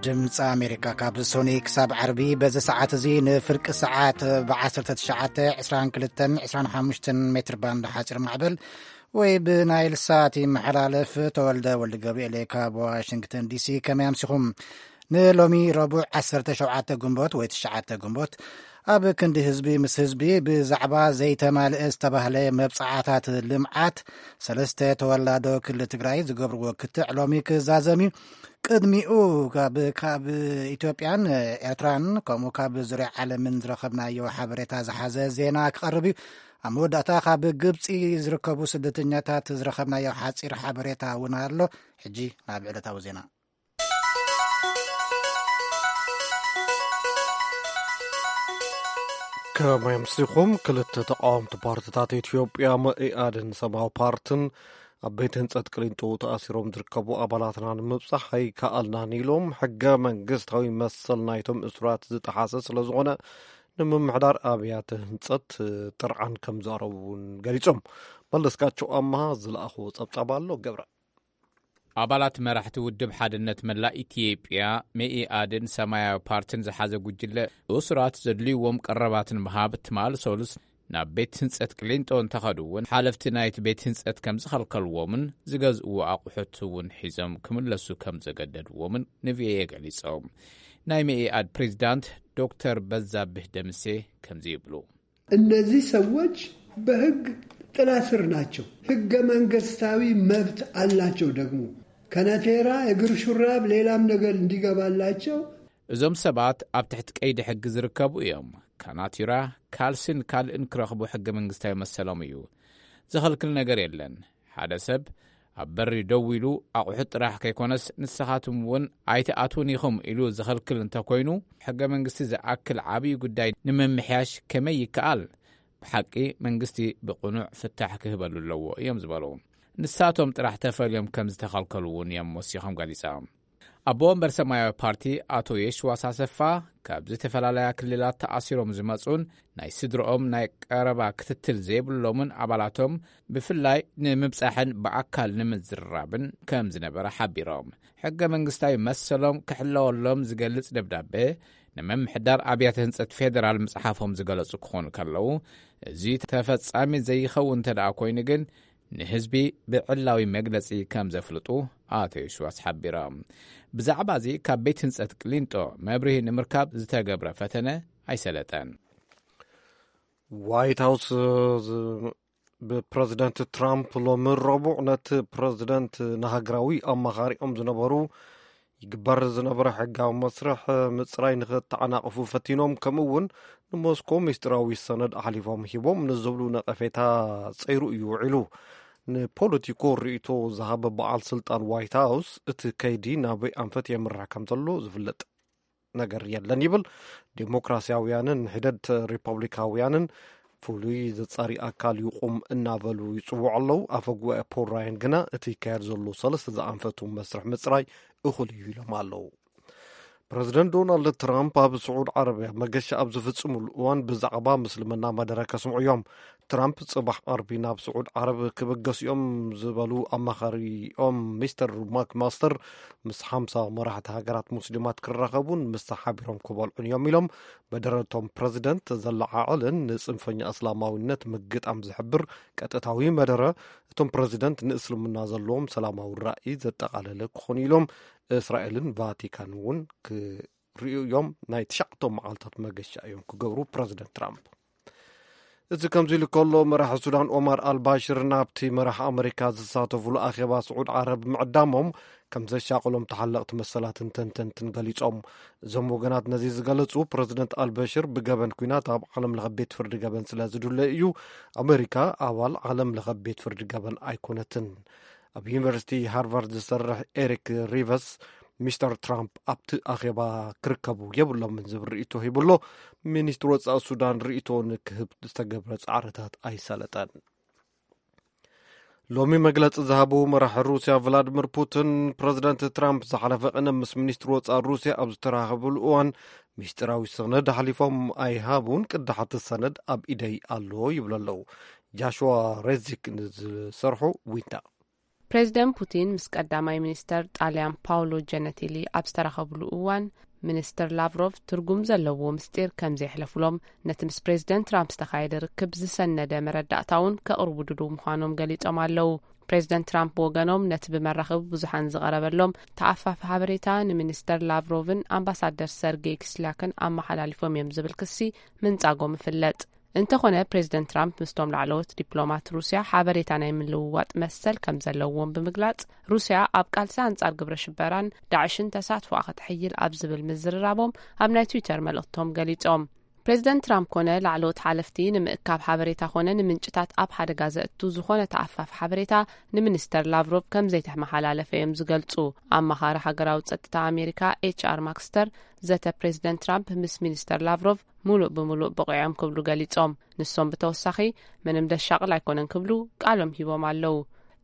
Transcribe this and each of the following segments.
ድምፂ ኣሜሪካ ካብ ሶኒ ክሳብ ዓርቢ በዚ ሰዓት እዚ ንፍርቂ ሰዓት ብ ዓሰርተ ትሽዓተ፣ ዕስራን ክልተን፣ ዕስራን ሓሙሽተን ሜትር ባንድ ሓፂር ማዕበል ወይ ብናይል ሳት ይመሓላለፍ። ተወልደ ወልድ ገብርኤል ካብ ዋሽንግተን ዲሲ። ከመይ ኣምሲኹም? ንሎሚ ረቡዕ ዓሰርተ ሸውዓተ ግንቦት ወይ ትሽዓተ ግንቦት ኣብ ክንዲ ህዝቢ ምስ ህዝቢ ብዛዕባ ዘይተማልአ ዝተባህለ መብጻዓታት ልምዓት ሰለስተ ተወላዶ ክልል ትግራይ ዝገብርዎ ክትዕ ሎሚ ክዛዘም እዩ። ቅድሚኡ ካብ፣ ካብ ኢትዮጵያን ኤርትራን ከምኡ ካብ ዙርያ ዓለምን ዝረኸብናዮ ሓበሬታ ዝሓዘ ዜና ክቐርብ እዩ። ኣብ መወዳእታ ካብ ግብጺ ዝርከቡ ስደተኛታት ዝረኸብናዮ ሓጺር ሓበሬታ እውን ኣሎ። ሕጂ ናብ ዕለታዊ ዜና። ከመይ ኣምሲኹም? ክልተ ተቃወምቲ ፓርትታት ኢትዮጵያ መኢኣድን ሰማያዊ ፓርትን ኣብ ቤት ህንጸት ቅሊንጦ ተኣሲሮም ዝርከቡ ኣባላትና ንምብጻሕ ኣይከኣልናን ኢሎም፣ ሕገ መንግስታዊ መሰል ናይቶም እሱራት ዝጠሓሰ ስለ ዝኾነ ንምምሕዳር ኣብያተ ህንጸት ጥርዓን ከም ዘቕረቡ እውን ገሊጾም። መለስካቸው ኣመሃ ዝለኣኽዎ ጸብጻብ ኣሎ። ገብረ። ኣባላት መራሕቲ ውድብ ሓድነት መላእ ኢትዮጵያ መኢኣድን ሰማያዊ ፓርትን ዝሓዘ ጉጅለ እሱራት ዘድልይዎም ቀረባት ንምሃብ ትማል ሰሉስ ናብ ቤት ህንጸት ቅሊንጦ እንተኸዱ እውን ሓለፍቲ ናይቲ ቤት ህንጸት ከም ዝኸልከልዎምን ዝገዝእዎ ኣቑሑት እውን ሒዞም ክምለሱ ከም ዘገደድዎምን ንቪኦኤ ገሊጾም። ናይ መኢኣድ ፕሬዚዳንት ዶክተር በዛብህ ደምሴ ከምዚ ይብሉ። እነዚህ ሰዎች በህግ ጥላ ስር ናቸው። ህገ መንግስታዊ መብት አላቸው። ደግሞ ከነቴራ፣ እግር ሹራብ፣ ሌላም ነገር እንዲገባላቸው። እዞም ሰባት ኣብ ትሕቲ ቀይዲ ሕጊ ዝርከቡ እዮም። ካናቲራ፣ ካልሲን ካልእን ክረኽቡ ሕገ መንግስታዊ መሰሎም እዩ። ዝኸልክል ነገር የለን። ሓደ ሰብ ኣብ በሪ ደው ኢሉ ኣቑሑት ጥራሕ ከይኮነስ ንስኻትም እውን ኣይትኣትውን ኢኹም ኢሉ ዝኸልክል እንተኮይኑ፣ ሕገ መንግስቲ ዝኣክል ዓብዪ ጉዳይ ንምምሕያሽ ከመይ ይከኣል? ብሓቂ መንግስቲ ብቕኑዕ ፍታሕ ክህበሉ ኣለዎ እዮም ዝበሉ። ንሳቶም ጥራሕ ተፈልዮም ከም ዝተኸልከሉ እውን እዮም ወሲኾም ገሊጾም። ኣቦ ወንበር ሰማያዊ ፓርቲ ኣቶ የሽዋስ ኣሰፋ ካብ ዝተፈላለያ ክልላት ተኣሲሮም ዝመጹን ናይ ስድርኦም ናይ ቀረባ ክትትል ዘይብሎምን ኣባላቶም ብፍላይ ንምብጻሕን ብኣካል ንምዝርራብን ከም ዝነበረ ሓቢሮም። ሕገ መንግስታዊ መሰሎም ክሕለወሎም ዝገልጽ ደብዳቤ ንምምሕዳር ኣብያተ ህንጸት ፌደራል ምጽሓፎም ዝገለጹ ክኾኑ ከለዉ፣ እዚ ተፈጻሚ ዘይኸውን እንተ ደኣ ኮይኑ ግን ንህዝቢ ብዕላዊ መግለጺ ከም ዘፍልጡ ኣቶ የሽዋስ ሓቢሮም። ብዛዕባ እዚ ካብ ቤት ህንጸት ቅሊንጦ መብርሂ ንምርካብ ዝተገብረ ፈተነ ኣይሰለጠን። ዋይት ሃውስ ዝ-፣ ብፕረዚደንት ትራምፕ ሎሚ ረቡዕ ነቲ ፕረዚደንት ንሃገራዊ ኣማኻሪኦም ዝነበሩ ይግበር ዝነበረ ሕጋዊ መስርሕ ምጽራይ ንኽተዓናቕፉ ፈቲኖም፣ ከምኡ እውን ንሞስኮ ምስጢራዊ ሰነድ ኣሕሊፎም ሂቦም ንዝብሉ ነቐፌታ ጸይሩ እዩ ውዒሉ። ንፖለቲኮ ርእይቶ ዝሃበ በዓል ስልጣን ዋይት ሃውስ፣ እቲ ከይዲ ናበይ ኣንፈት የምርሕ ከም ዘሎ ዝፍለጥ ነገር የለን ይብል። ዴሞክራሲያውያንን ሒደት ሪፐብሊካውያንን ፍሉይ ዘጻሪ ኣካል ይቑም እናበሉ ይጽውዑ ኣለዉ። ኣፈ ጉባኤ ፖል ራያን ግና እቲ ይካየድ ዘሎ ሰለስተ ዝኣንፈቱ መስርሕ ምጽራይ እኹል እዩ ኢሎም ኣለዉ። ፕረዚደንት ዶናልድ ትራምፕ ኣብ ስዑድ ዓረብያ መገሻ ኣብ ዝፍጽሙሉ እዋን ብዛዕባ ምስልምና መደረ ከስምዑ እዮም። ትራምፕ ጽባሕ ዓርቢ ናብ ስዑድ ዓረብ ክብገሱ እዮም ዝበሉ ኣማኻሪኦም ሚስተር ማክ ማስተር ምስ ሓምሳ መራሕቲ ሃገራት ሙስሊማት ክራኸቡን ምስ ሓቢሮም ክበልዑን እዮም ኢሎም። መደረቶም ፕረዚደንት ዘለዓዕልን ንጽንፈኛ እስላማዊነት ምግጣም ዝሕብር ቀጥታዊ መደረ፣ እቶም ፕረዚደንት ንእስልምና ዘለዎም ሰላማዊ ራእይ ዘጠቓለለ ክኾኑ ኢሎም። እስራኤልን ቫቲካን እውን ክርእዩ እዮም። ናይ ትሽዓቶም መዓልታት መገሻ እዮም ክገብሩ ፕረዚደንት ትራምፕ። እዚ ከምዚ ኢሉ ከሎ፣ መራሒ ሱዳን ኦማር ኣልባሽር ናብቲ መራሕ ኣመሪካ ዝሳተፉሉ ኣኼባ ስዑድ ዓረብ ምዕዳሞም ከም ዘሻቕሎም ተሓለቕቲ መሰላትን ተንተንትን ገሊጾም። እዞም ወገናት ነዚ ዝገለጹ፣ ፕረዚደንት ኣልበሽር ብገበን ኲናት ኣብ ዓለም ለኸ ቤት ፍርዲ ገበን ስለ ዝድለ እዩ። ኣመሪካ ኣባል ዓለም ለኸ ቤት ፍርዲ ገበን ኣይኮነትን። ኣብ ዩኒቨርሲቲ ሃርቫርድ ዝሰርሕ ኤሪክ ሪቨስ፣ ሚስተር ትራምፕ ኣብቲ ኣኼባ ክርከቡ የብሎምን ዝብል ርእይቶ ሂቡ ኣሎ። ሚኒስትሪ ወጻኢ ሱዳን ርእይቶ ንክህብ ዝተገብረ ጻዕርታት ኣይሰለጠን። ሎሚ መግለጺ ዝሃቡ መራሒ ሩስያ ቭላድሚር ፑቲን፣ ፕረዚደንት ትራምፕ ዝሓለፈ ቅነ ምስ ሚኒስትሪ ወጻኢ ሩስያ ኣብ ዝተራኸብሉ እዋን፣ ሚስጢራዊ ሰነድ ኣሕሊፎም ኣይሃቡን፣ ቅዳሕ እቲ ሰነድ ኣብ ኢደይ ኣሎ ይብሉ ኣለዉ። ጃሽዋ ሬዚክ ንዝሰርሑ ዊንታ። ፕሬዚደንት ፑቲን ምስ ቀዳማይ ሚኒስተር ጣልያን ፓውሎ ጀነቲሊ ኣብ ዝተራኸብሉ እዋን፣ ሚኒስትር ላቭሮቭ ትርጉም ዘለዎ ምስጢር ከም ዘየሕለፉሎም፣ ነቲ ምስ ፕሬዚደንት ትራምፕ ዝተኻየደ ርክብ ዝሰነደ መረዳእታ እውን ከቕርቡ ድሉው ምዃኖም ገሊጾም ኣለዉ። ፕሬዚደንት ትራምፕ ብወገኖም፣ ነቲ ብመራኸቢ ብዙሓን ዝቐረበሎም ተኣፋፊ ሓበሬታ ንሚኒስተር ላቭሮቭን ኣምባሳደር ሰርጌይ ኪስሊያክን ኣመሓላሊፎም እዮም ዝብል ክሲ ምንጻጎም ይፍለጥ። እንተኾነ፣ ፕሬዚደንት ትራምፕ ምስቶም ላዕለዎት ዲፕሎማት ሩስያ ሓበሬታ ናይ ምልውዋጥ መሰል ከም ዘለዎም ብምግላጽ፣ ሩስያ ኣብ ቃልሲ ኣንጻር ግብረ ሽበራን ዳዕሽን ተሳትፎኣ ከተሕይል ኣብ ዝብል ምዝርራቦም ኣብ ናይ ትዊተር መልእኽቶም ገሊጾም። ፕሬዚደንት ትራምፕ ኮነ ላዕለዎት ሓለፍቲ፣ ንምእካብ ሓበሬታ ኮነ ንምንጭታት ኣብ ሓደጋ ዘእቱ ዝኾነ ተኣፋፊ ሓበሬታ ንሚኒስተር ላቭሮቭ ከም ዘይተመሓላለፈ እዮም ዝገልጹ። ኣማኻሪ ሃገራዊ ጸጥታ ኣሜሪካ ኤች ኣር ማክስተር፣ ዘተ ፕሬዚደንት ትራምፕ ምስ ሚኒስተር ላቭሮቭ ምሉእ ብምሉእ ብቑዕ እዮም ክብሉ ገሊጾም። ንሶም ብተወሳኺ፣ ምንም ደሻቕል ኣይኮነን ክብሉ ቃሎም ሂቦም ኣለዉ።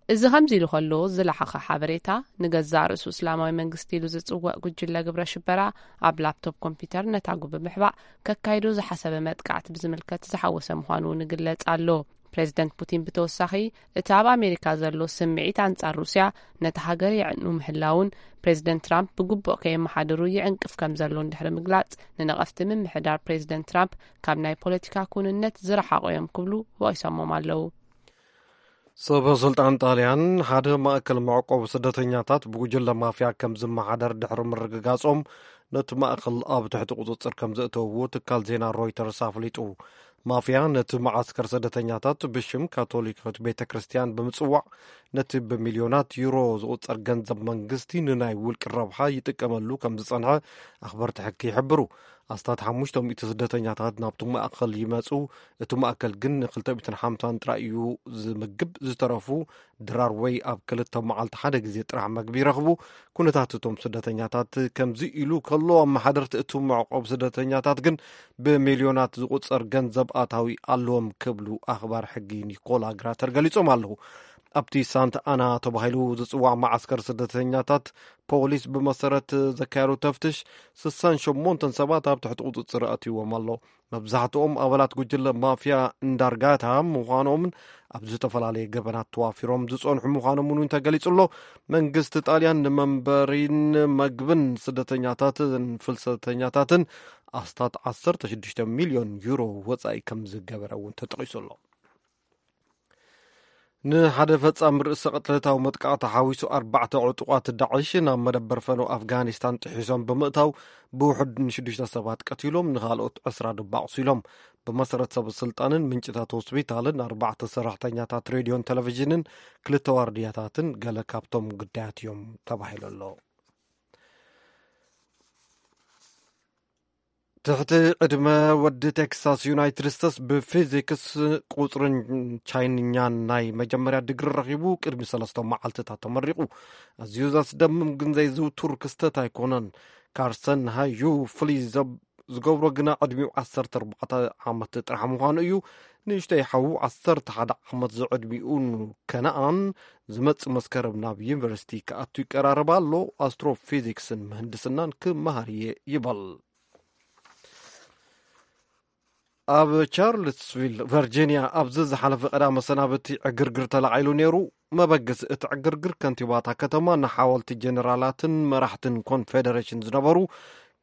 እዚ ከምዚ ኢሉ ከሎ፣ ዝለሓኸ ሓበሬታ፣ ንገዛእ ርእሱ እስላማዊ መንግስቲ ኢሉ ዝጽውዕ ጉጅለ ግብረ ሽበራ ኣብ ላፕቶፕ ኮምፒውተር ነታጉ ብምሕባእ ከካይዶ ዝሓሰበ መጥቃዕቲ ብዝምልከት ዝሓወሰ ምዃኑ እውን ይግለጽ ኣሎ። ፕሬዚደንት ፑቲን ብተወሳኺ፣ እቲ ኣብ ኣሜሪካ ዘሎ ስምዒት ኣንጻር ሩስያ፣ ነቲ ሃገር የዕኑ ምህላውን፣ ፕሬዚደንት ትራምፕ ብግቡእ ከየመሓድሩ ይዕንቅፍ ከም ዘሎ እንድሕሪ ምግላጽ፣ ንነቐፍቲ ምምሕዳር ፕሬዚደንት ትራምፕ ካብ ናይ ፖለቲካ ኩንነት ዝረሓቑ እዮም ክብሉ ወቒሶሞም ኣለዉ። ሰበ ስልጣን ጣልያን፣ ሓደ ማእከል መዕቆቢ ስደተኛታት ብጉጅለ ማፍያ ከም ዝመሓደር ድሕሪ ምርግጋጾም፣ ነቲ ማእከል ኣብ ትሕቲ ቁጽጽር ከም ዘእተውዎ ትካል ዜና ሮይተርስ ኣፍሊጡ። ማፍያ ነቲ መዓስከር ስደተኛታት ብሽም ካቶሊካዊት ቤተ ክርስቲያን ብምጽዋዕ፣ ነቲ ብሚልዮናት ዩሮ ዝቑጸር ገንዘብ መንግስቲ ንናይ ውልቂ ረብሓ ይጥቀመሉ ከም ዝጸንሐ ኣኽበርቲ ሕጊ ይሕብሩ። ኣስታት ሓሙሽተ ሚእቲ ስደተኛታት ናብቲ ማእከል ይመጹ። እቲ ማእከል ግን ንክልተ ሚእትን ሓምሳን ጥራይ እዩ ዝምግብ። ዝተረፉ ድራር ወይ ኣብ ክልተ መዓልቲ ሓደ ግዜ ጥራሕ መግቢ ይረኽቡ። ኩነታት እቶም ስደተኛታት ከምዚ ኢሉ ከሎ፣ ኣመሓደርቲ እቲ መዕቆብ ስደተኛታት ግን ብሚልዮናት ዝቑጸር ገንዘብ ኣታዊ ኣለዎም ክብሉ ኣኽባር ሕጊ ኒኮላ ግራተር ገሊጾም ኣለዉ። ኣብቲ ሳንት ኣና ተባሂሉ ዝጽዋዕ መዓስከር ስደተኛታት፣ ፖሊስ ብመሰረት ዘካየዶ ተፍትሽ ስሳን ሸሞንተን ሰባት ኣብ ትሕቲ ቁጽጽር ኣእትይዎም ኣሎ። መብዛሕትኦም ኣባላት ጉጅለ ማፍያ እንዳርጋታ ምዃኖምን ኣብ ዝተፈላለየ ገበናት ተዋፊሮም ዝጸንሑ ምዃኖምን እውን ተገሊጹ ኣሎ። መንግስቲ ጣልያን ንመንበሪን መግብን ስደተኛታትን ፍልሰተኛታትን ኣስታት ዓሰርተ ሽዱሽተ ሚልዮን ዩሮ ወጻኢ ከም ዝገበረ እውን ተጠቒሱ ኣሎ። ንሓደ ፈጻሚ ርእሰ ቅትለታዊ መጥቃዕቲ ሓዊሱ ኣርባዕተ ዕጡቓት ዳዕሽ ናብ መደበር ፈነው ኣፍጋኒስታን ጥሒሶም ብምእታው፣ ብውሑድ ንሽዱሽተ ሰባት ቀቲሎም፣ ንኻልኦት ዕስራ ድማ ኣቑሲሎም። ብመሰረት ሰብ ስልጣንን ምንጭታት ሆስፒታልን፣ ኣርባዕተ ሰራሕተኛታት ሬድዮን ቴሌቪዥንን ክልተ ዋርድያታትን ገለ ካብቶም ግዳያት እዮም ተባሂሉ ኣሎ። ትሕቲ ዕድመ ወዲ ቴክሳስ ዩናይትድ ስቴትስ ብፊዚክስ ቁፅርን ቻይንኛን ናይ መጀመርያ ድግሪ ረኺቡ ቅድሚ ሰለስተ መዓልትታት ተመሪቑ። ኣዝዩ ዘስደምም ግን ዘይዝውቱር ክስተት ኣይኮነን። ካርሰን ሃዩ ፍሊ ዝገብሮ ግና ዕድሚኡ ዓሰርተ ኣርባዕተ ዓመት ጥራሕ ምዃኑ እዩ። ንእሽተይ ሓዉ ዓሰርተ ሓደ ዓመት ዝዕድሚኡ ከነኣን ዝመጽእ መስከረም ናብ ዩኒቨርሲቲ ክኣቱ ይቀራረብ ኣሎ። ኣስትሮፊዚክስን ምህንድስናን ክመሃር እየ ይበል። ኣብ ቻርልስቪል ቨርጂኒያ ኣብዚ ዝሓለፈ ቀዳመ ሰናብቲ ዕግርግር ተላዒሉ ነይሩ። መበገሲ እቲ ዕግርግር ከንቲባታ ከተማ ንሓወልቲ ጀነራላትን መራሕትን ኮንፌደሬሽን ዝነበሩ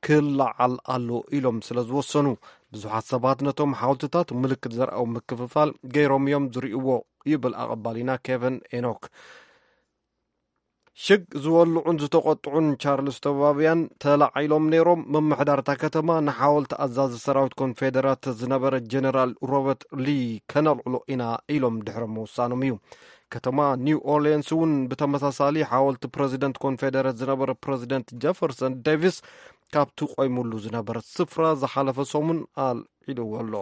ክለዓል ኣሎ ኢሎም ስለ ዝወሰኑ፣ ብዙሓት ሰባት ነቶም ሓወልትታት ምልክት ዘርኣዊ ምክፍፋል ገይሮም እዮም ዝርእይዎ ይብል ኣቐባሊና ኬቨን ኤኖክ። ሽግ ዝወልዑን ዝተቆጥዑን ቻርልስቶቫውያን ተላዒሎም ነይሮም። ምምሕዳር እታ ከተማ ንሓወልቲ ኣዛዚ ሰራዊት ኮንፌደራት ዝነበረ ጀነራል ሮበርት ሊ ከነልዕሎ ኢና ኢሎም ድሕሪ ምውሳኖም እዩ። ከተማ ኒው ኦርሊንስ እውን ብተመሳሳሊ ሓወልቲ ፕረዚደንት ኮንፌደረት ዝነበረ ፕረዚደንት ጀፈርሰን ዴቪስ ካብቲ ቆይሙሉ ዝነበረ ስፍራ ዝሓለፈ ሰሙን ኣልዒልዎ ኣሎ።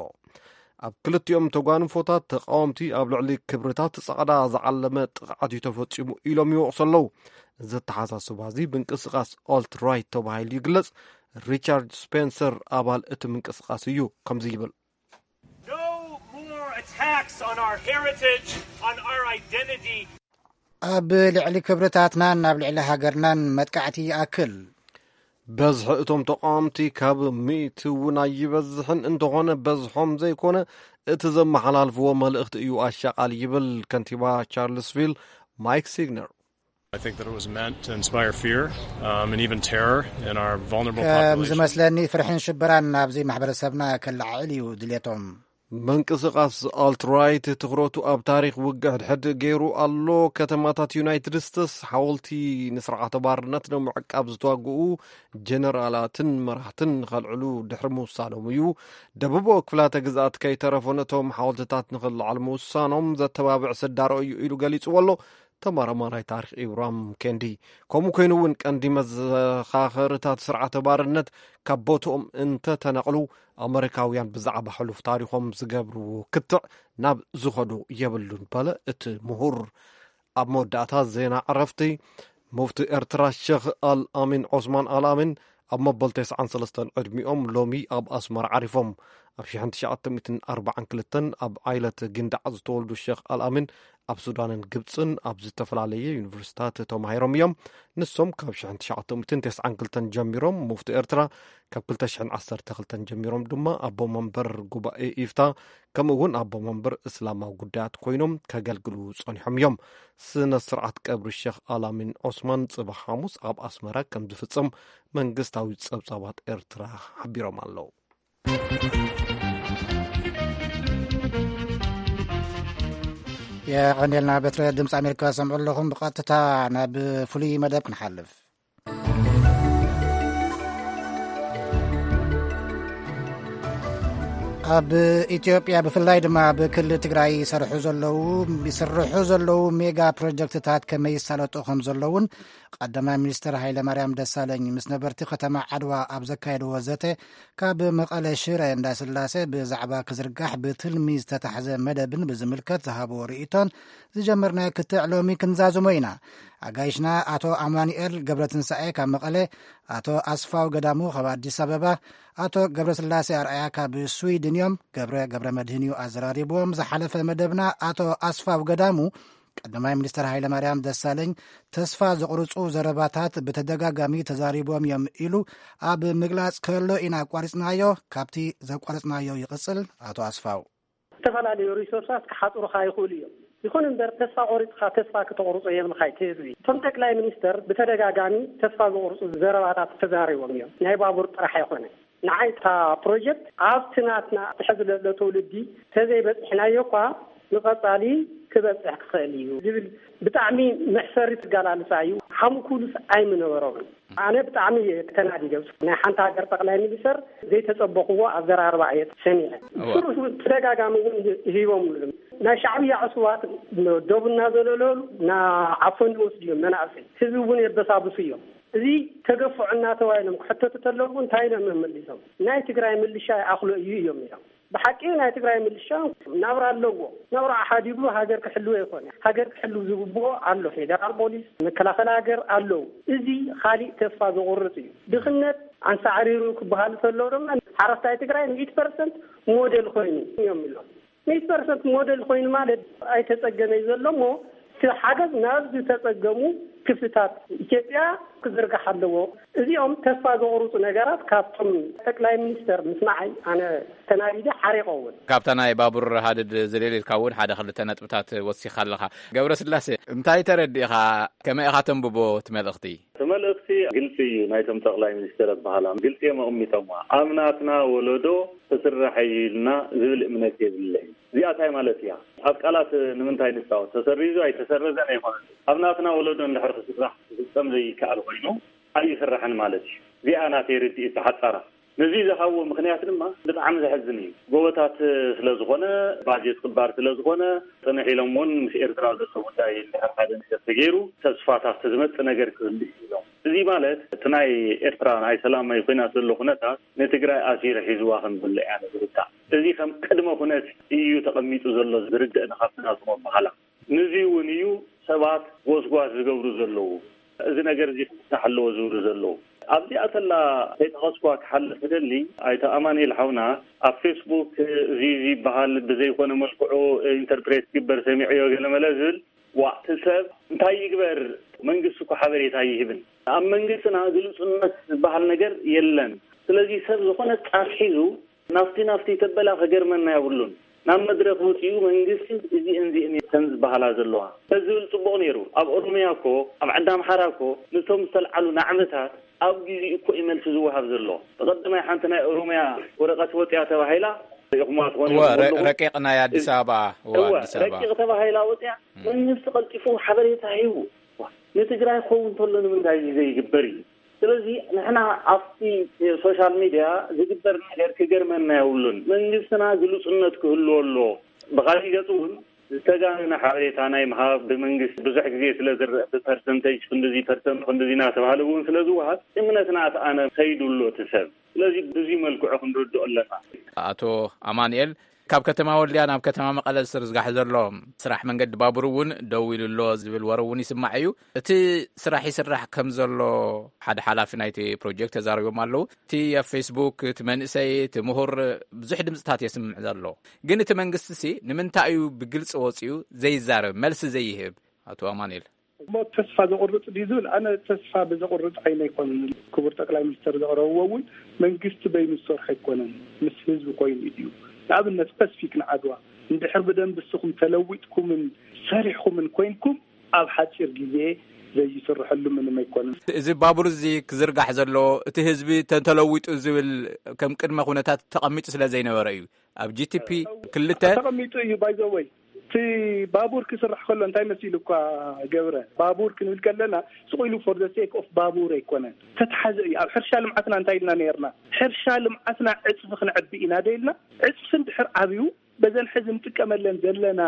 ኣብ ክልቲኦም ተጓንፎታት ተቃወምቲ ኣብ ልዕሊ ክብርታት ጻዕዳ ዝዓለመ ጥቕዓት እዩ ተፈጺሙ ኢሎም ይወቕሱ ኣለዉ። እዚ ኣተሓሳስባ እዚ ምንቅስቃስ ኦልት ራይት ተባሂሉ ይግለጽ። ሪቻርድ ስፔንሰር ኣባል እቲ ምንቅስቃስ እዩ። ከምዚ ይብል። No more attacks on our heritage, on our identity. ኣብ ልዕሊ ክብርታትናን ኣብ ልዕሊ ሃገርናን መጥቃዕቲ ይኣክል። በዝሒ እቶም ተቃወምቲ ካብ ሚእቲ እውን ኣይበዝሕን፣ እንተኾነ በዝሖም ዘይኮነ እቲ ዘመሓላልፍዎ መልእኽቲ እዩ ኣሻቓሊ ይብል ከንቲባ ቻርልስቪል ማይክ ሲግነር። I think that it was meant to inspire fear um, and even terror in our vulnerable ከም population. ዝመስለኒ፣ ፍርሕን ሽበራን ናብዚ ማሕበረሰብና ከለዓዕል እዩ ድሌቶም። ምንቅስቓስ ኣልትራይት ትኹረቱ ኣብ ታሪኽ ውግእ ሕድሕድ ገይሩ ኣሎ። ከተማታት ዩናይትድ ስቴትስ ሓወልቲ ንስርዓተ ባርነት ንምዕቃብ ዝተዋግኡ ጀነራላትን መራሕትን ንኸልዕሉ ድሕሪ ምውሳኖም እዩ። ደቡብ ክፍላተ ግዝኣት ከይተረፉ ነቶም ሓወልትታት ንኽልዓል ምውሳኖም ዘተባብዕ ስዳሮ እዩ ኢሉ ገሊጽዎ ኣሎ። ተመራማራይ ታሪኽ ኢብራም ኬንዲ፣ ከምኡ ኮይኑ እውን ቀንዲ መዘኻኸርታት ስርዓተ ባርነት ካብ ቦትኦም እንተተነቕሉ፣ ኣመሪካውያን ብዛዕባ ሕሉፍ ታሪኾም ዝገብርዎ ክትዕ ናብ ዝኸዱ የብሉን በለ እቲ ምሁር። ኣብ መወዳእታ ዜና ዕረፍቲ፣ ሙፍቲ ኤርትራ ሸኽ ኣልኣሚን ዖስማን ኣልኣሚን ኣብ መበል ተስዓን ሰለስተን ዕድሚኦም ሎሚ ኣብ ኣስመራ ዓሪፎም። ኣብ ሽሕን ትሽዓተ ሚእትን ኣርባዓን ክልተን ኣብ ዓይለት ጊንዳዕ ዝተወልዱ ሸኽ ኣልኣሚን ኣብ ሱዳንን ግብጽን ኣብ ዝተፈላለየ ዩኒቨርሲታት ተማሂሮም እዮም። ንሶም ካብ ሽሕን ትሽዓተ ሚእትን ተስዓን ክልተን ጀሚሮም ሙፍቲ ኤርትራ፣ ካብ ክልተ ሽሕን ዓሰርተ ክልተን ጀሚሮም ድማ ኣቦ መንበር ጉባኤ ኢፍታ፣ ከምኡ እውን ኣቦ መንበር እስላማዊ ጉዳያት ኮይኖም ከገልግሉ ጸኒሖም እዮም። ስነ ስርዓት ቀብሪ ሸኽ ኣላሚን ዖስማን ጽባሕ ሓሙስ ኣብ ኣስመራ ከም ዝፍጸም መንግስታዊ ጸብጻባት ኤርትራ ሓቢሮም ኣለዉ። የቐንየልና። በትረ ድምፂ ኣሜሪካ ሰምዑ ኣለኹም። ብቐጥታ ናብ ፍሉይ መደብ ክንሓልፍ። ኣብ ኢትዮጵያ፣ ብፍላይ ድማ ኣብ ክልል ትግራይ ይሰርሑ ዘለዉ፣ ይስርሑ ዘለዉ ሜጋ ፕሮጀክትታት ከመይ ይሳለጡ ከም ዘለዉን ቀዳማይ ሚኒስትር ሃይለማርያም ደሳለኝ ምስ ነበርቲ ከተማ ዓድዋ ኣብ ዘካየድዎ ዘተ፣ ካብ መቐለ ሽረ እንዳስላሴ ብዛዕባ ክዝርጋሕ ብትልሚ ዝተታሕዘ መደብን ብዝምልከት ዝሃብዎ ርእይቶን ዝጀመርናዮ ክትዕ ሎሚ ክንዛዝሞ ኢና። ኣጋይሽና ኣቶ ኣማኑኤል ገብረትንሳኤ ካብ መቐለ፣ ኣቶ ኣስፋው ገዳሙ ካብ ኣዲስ ኣበባ፣ ኣቶ ገብረስላሴ ኣርኣያ ካብ ስዊድን እዮም። ገብረ ገብረ መድህን እዩ ኣዘራሪብዎም። ዝሓለፈ መደብና ኣቶ ኣስፋው ገዳሙ ቀዳማይ ሚኒስትር ሃይለማርያም ደሳለኝ ተስፋ ዘቑርጹ ዘረባታት ብተደጋጋሚ ተዛሪቦም እዮም ኢሉ ኣብ ምግላጽ ከሎ ኢና ኣቋሪጽናዮ። ካብቲ ዘቋረጽናዮ ይቕጽል ኣቶ ኣስፋው። ዝተፈላለዩ ሪሶርሳት ክሓጽሩኻ ይኽእሉ እዮም። ይኹን እምበር ተስፋ ቆሪጽካ ተስፋ ክተቑርጾ የብልካ እቲ ህዝቢ። እቶም ጠቅላይ ሚኒስተር ብተደጋጋሚ ተስፋ ዘቑርጹ ዘረባታት ተዛሪቦም እዮም። ናይ ባቡር ጥራሕ ኣይኮነ። ንዓይ እታ ፕሮጀክት ኣብቲ ናትና ትሕዚ ለሎ ትውልዲ ተዘይበጺሕናዮ እኳ ንቐጻሊ ክበጽሕ ክኽእል እዩ ዝብል ብጣዕሚ መሕፈሪ ትገላልጻ እዩ። ሓሙኩሉስ ኣይምነበሮምን። ኣነ ብጣዕሚ እየ ተናዲደ። ናይ ሓንቲ ሃገር ጠቅላይ ሚኒስተር ዘይተጸበኽዎ ኣዘራርባ እየ ሰሚዐ። እዋ። ስሩስ እውን ተደጋጋሚ እውን ሂቦምሉ። ናይ ሻዕብያ ዕሱባት ዶብ እናዘለለሉ ናዓፈኑ ይወስዱ እዮም መናእሰይ። ህዝቢ እውን የበሳብሱ እዮም። እዚ ተገፍዖ እናተባሂሎም ክሕተቱ ተለዉ እንታይ ኢሎም እዮም መሊሶም? ናይ ትግራይ ምልሻ ይኣኽሎ እዩ እዮም ኢሎም። ብሓቂ ናይ ትግራይ ምልሻ ናብራ ኣለዎ። ናብራ ሓዲጉ ሃገር ክሕልው ኣይኮነ። ሃገር ክሕልው ዝግብኦ ኣሎ። ፌደራል ፖሊስ፣ መከላኸሊ ሃገር ኣለዉ። እዚ ካሊእ ተስፋ ዘቑርጽ እዩ። ድኽነት ኣንሳዕሪሩ ክበሃል ከሎ ድማ ሓረስታይ ትግራይ ሚእቲ ፐርሰንት ሞዴል ኮይኑ እዮም ኢሎም። ሚእቲ ፐርሰንት ሞዴል ኮይኑ ማለት ኣይተጸገመ እዩ ዘሎ እሞ እቲ ሓገዝ ናብ ዝተጸገሙ ክፍልታት ኢትዮጵያ ክዝርጋሕ ኣለዎ። እዚኦም ተስፋ ዘቑርጹ ነገራት ካብቶም ጠቅላይ ሚኒስተር ምስማዓይ ኣነ ተናዲደ ሓሪቐ እውን። ካብታ ናይ ባቡር ሃድድ ዝልል ኢልካ እውን ሓደ ክልተ ነጥብታት ወሲኻ ኣለኻ። ገብረስላሴ፣ እንታይ ተረዲእኻ? ከመይ ኢኻ ተንብቦ እቲ መልእኽቲ? እቲ መልእኽቲ ግልጺ እዩ። ናይቶም ጠቅላይ ሚኒስተር ኣበሃህላ ግልጺ እዮም ኣቐሚጦምዋ። ኣብ ናትና ወለዶ ክስራሕ እዩ ኢልና ዝብል እምነት የብለይን። እዚኣ እንታይ ማለት እያ? ኣብ ቃላት ንምንታይ ንጻወት? ተሰሪዙ ኣይተሰረዘን ኣይኮነን። ኣብ ናትና ወለዶ እንድሕር ክስራሕ ክፍጸም ዘይከኣል ኮይኑ ኣይስራሕን ማለት እዩ። እዚኣ ናተይ ርድኢት ብሓጻራ። ነዚ ዝሃብዎ ምኽንያት ድማ ብጣዕሚ ዘሕዝን እዩ። ጎቦታት ስለ ዝኾነ፣ ባጀት ክባር ስለ ዝኾነ፣ ጽንሕ ኢሎም እውን ምስ ኤርትራ ዘሎ ጉዳይ እንድሕር ሓደ ነገር ተገይሩ፣ ተስፋታት ዝመጽእ ነገር ክህሉ እዩ ኢሎም። እዚ ማለት እቲ ናይ ኤርትራ ናይ ሰላም ናይ ኲናት ዘሎ ኩነታት ንትግራይ ኣሲሩ ሒዝዋ ከም ዘሎ እያ ዝርዳእ። እዚ ከም ቅድመ ኩነት እዩ ተቐሚጡ ዘሎ ዝርድእ ንኻብቲ ናቶም ኣበሃህላ። ነዚ እውን እዩ ሰባት ጎስጓስ ዝገብሩ ዘለዉ። እዚ ነገር እዚ ክፍታሕ ኣለዎ ዝብሉ ዘለዉ። ኣብዚኣ ተላ ከይጠቐስኳ ክሓልፍ እደሊ፣ ኣይተ ኣማኑኤል ሓውና ኣብ ፌስቡክ እዚ እዚ ይበሃል ብዘይኮነ መልክዑ ኢንተርፕሬት ይግበር ሰሚዐዮ ገለመለ ዝብል፣ ዋእ፣ እቲ ሰብ እንታይ ይግበር? መንግስቲ እኮ ሓበሬታ ኣይህብን። ኣብ መንግስትና ግሉጽነት ዝበሃል ነገር የለን። ስለዚ ሰብ ዝኾነ ጫፍ ሒዙ ናፍቲ ናፍቲ ተበላ ከገርመና የብሉን። ናብ መድረኽ ወፂኡ መንግስቲ እዚአን እዚአን እየን ዝበሃላ ዘለዋ ተዝብል ፅቡቕ ነይሩ። ኣብ ኦሮሚያ እኮ፣ ኣብ ዓዲ ኣምሓራ እኮ፣ ነቶም ዝተልዓሉ ናዕብታት ኣብ ግዜኡ እኮ እዩ መልሲ ዝወሃብ ዘሎ። ብቐደማይ ሓንቲ ናይ ኦሮሚያ ወረቐት ወፂኣ ተባሂላ፣ ርኢኹማ ትኾኑ እወ፣ ረ- ኣለኹም። ረቂቕ ናይ ኣዲስ ኣበባ፣ እወ፣ እወ፣ ኣዲስ ኣበባ። ረቂቕ ተባሂላ ወፂኣ፣ መንግስቲ ቀልጢፉ ሓበሬታ ሂቡ። ንትግራይ ክኸውን እንተሎ ንምንታይ እዚ ዘይግበር እዩ? ስለዚ ንሕና ኣብቲ ሶሻል ሚድያ ዝግበር ነገር ክገርመና የብሉን። መንግስትና ግሉጽነት ክህልዎ ኣሎ። ብኻሊእ ገጽ እውን ዝተጋነነ ሓበሬታ ናይ ምሃብ ብመንግስቲ ብዙሕ ግዜ ስለ ዝረአ፣ ብፐርሰንቴጅ ክንድዚ ፐርሰንት ክንድዚ እናተባህለ እውን ስለ ዝወሃብ፣ እምነትና ኣነ ከይዱ ኣሎ እቲ ሰብ። ስለዚ ብዙይ መልክዑ ክንርድኦ ኣለና። ኣቶ ኣማንኤል፣ ካብ ከተማ ወልድያ ናብ ከተማ መቐለ ዝዝርጋሕ ዘሎ ስራሕ መንገዲ ባቡር እውን ደው ኢሉ ኣሎ ዝብል ወረ እውን ይስማዕ እዩ። እቲ ስራሕ ይስራሕ ከም ዘሎ ሓደ ሓላፊ ናይቲ ፕሮጀክት ተዛሪቦም ኣለዉ። እቲ ኣብ ፌስቡክ እቲ መንእሰይ፣ እቲ ምሁር ብዙሕ ድምፅታት የስምዕ ዘሎ፣ ግን እቲ መንግስቲ ሲ ንምንታይ እዩ ብግልፂ ወፂኡ ዘይዛረብ፣ መልሲ ዘይህብ? ኣቶ ኣማኑኤል። እሞ ተስፋ ዘቑርፅ ድዩ ዝብል፣ ኣነ ተስፋ ብዘቑርፅ ዓይነ ኣይኮነን። ክቡር ጠቅላይ ሚኒስተር ዘቕረብዎ እውን መንግስቲ በይኑ ዝሰርሖ ኣይኮነን፣ ምስ ህዝቢ ኮይኑ እዩ። ንኣብነት ፐስፊክ ንዓድዋ እንድሕር ብደንብ እስኹም ተለዊጥኩምን ሰሪሕኩምን ኮይንኩም ኣብ ሓፂር ግዜ ዘይስርሐሉ ምንም ኣይኮነን። እዚ ባቡር እዚ ክዝርጋሕ ዘለዎ እቲ ህዝቢ ተተለዊጡ ዝብል ከም ቅድመ ኩነታት ተቐሚጡ ስለ ዘይነበረ እዩ። ኣብ ጂ ቲ ፒ ክልተ ተቐሚጡ እዩ። ባይዘወይ እቲ ባቡር ክስራሕ ከሎ እንታይ መሲሉ እኳ ገብረ፣ ባቡር ክንብል ከለና ስቑ ኢሉ for the sake of ባቡር ኣይኮነን፣ ተተሓዘ እዩ። ኣብ ሕርሻ ልምዓትና እንታይ ኢልና ነርና? ሕርሻ ልምዓትና ዕፅፊ ክንዕቢ ኢና ደ ኢልና። ዕፅፊ እንድሕር ዓብዩ በዘን ሕዚ ንጥቀመለን ዘለና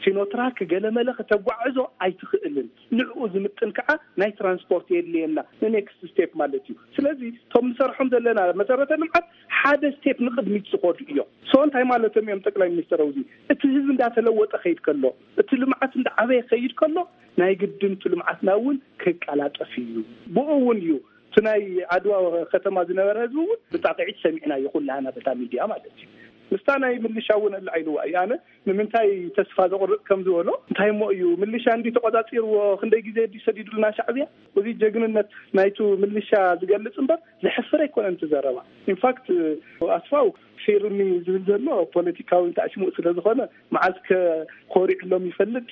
ሲኖትራክ ገለመለ ከተጓዕዞ ኣይትኽእልን። ንዕኡ ዝምጥን ከዓ ናይ ትራንስፖርት የድልየና፣ ንኔክስት ስቴፕ ማለት እዩ። ስለዚ እቶም ንሰርሖም ዘለና መሰረተ ልምዓት ሓደ ስቴፕ ንቕድሚት ዝኸዱ እዮም። ሶ እንታይ ማለቶም እዮም ጠቅላይ ሚኒስትር? ኣብዚ እቲ ህዝቢ እንዳተለወጠ ከይድ ከሎ፣ እቲ ልምዓት እንዳዓበየ ከይድ ከሎ፣ ናይ ግድን እቲ ልምዓትና እውን ክቀላጠፍ እዩ። ብኡ እውን እዩ እቲ ናይ ዓድዋ ከተማ ዝነበረ ህዝቢ እውን ብጣቕዒት ሰሚዕናዮ ኩላህና በታ ሚድያ ማለት እዩ። ምስታ ናይ ምልሻ እውን ኣላዒልዋ እዩ። ኣነ ንምንታይ ተስፋ ዘቑርጥ ከም ዝበሎ፣ እንታይ እሞ እዩ ምልሻ እንዲ ተቆጻጺርዎ፣ ክንደይ ግዜ እንዲ ሰዲዱልና ሻዕብያ? እዚ ጀግንነት ናይቱ ምልሻ ዝገልጽ እምበር ዘሕፍር ኣይኮነን እቲ ዘረባ። ኢንፋክት ኣስፋው ፊርሚ ዝብል ዘሎ ፖለቲካዊ ታዕሽሙእ ስለ ዝኾነ መዓዝ ከ ኮሪዕሎም ይፈልጥ።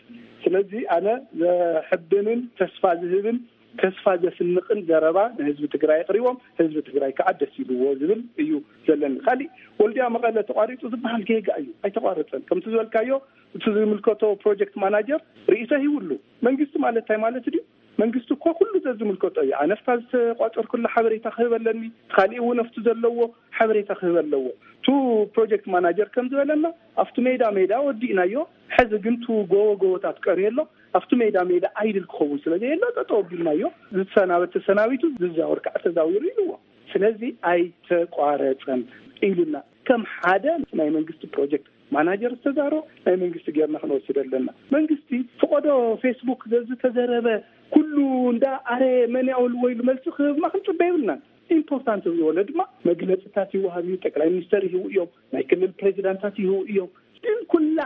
ስለዚ ኣነ ዘሕብንን ተስፋ ዝህብን ተስፋ ዘስንቕን ዘረባ ንህዝቢ ትግራይ ኣቕሪቦም፣ ህዝቢ ትግራይ ከዓ ደስ ኢልዎ ዝብል እዩ ዘለኒ። ካሊእ ወልድያ መቐለ ተቋሪፁ ዝበሃል ጌጋ እዩ። ኣይተቋረፀን። ከምቲ ዝበልካዮ እቲ ዝምልከቶ ፕሮጀክት ማናጀር ርእይቶ ሂቡሉ። መንግስቲ ማለት እንታይ ማለት ድዩ? መንግስቲ እኮ ኩሉ ዘዝምልከቶ እዩ። ኣነ ኣብታ ዝተቋፀርኩላ ሓበሬታ ክህብ ኣለኒ፣ ካሊእ እውን ኣብቲ ዘለዎ ሓበሬታ ክህብ ኣለዎ። እቱ ፕሮጀክት ማናጀር ከም ዝበለና ኣብቲ ሜዳ ሜዳ ወዲእናዮ፣ ሕዚ ግን እቱ ጎቦ ጎቦታት ቀርዩ ኣሎ። ኣብቲ ሜዳ ሜዳ ኣይድል ክኸውን ስለ ዘየሎ ጠጠው ኣቢልናዮ። ዝሰናበት ተሰናቢቱ፣ ዝዛወር ከዓ ተዛዊሩ ኢልዎ። ስለዚ ኣይተቋረፀን ኢሉና። ከም ሓደ ናይ መንግስቲ ፕሮጀክት ማናጀር ዝተዛሮ ናይ መንግስቲ ጌርና ክንወስድ ኣለና። መንግስቲ ፍቆዶ ፌስቡክ ዘዝተዘረበ ኩሉ እንዳ ኣረ መን ያውልዎ ኢሉ መልሲ ክህብማ ክንፅበ የብልናን። ኢምፖርታንት ዝበለ ድማ መግለፅታት ይወሃብ እዩ። ጠቅላይ ሚኒስተር ይህቡ እዮም፣ ናይ ክልል ፕሬዚዳንታት ይህቡ እዮም። ግን ኩላ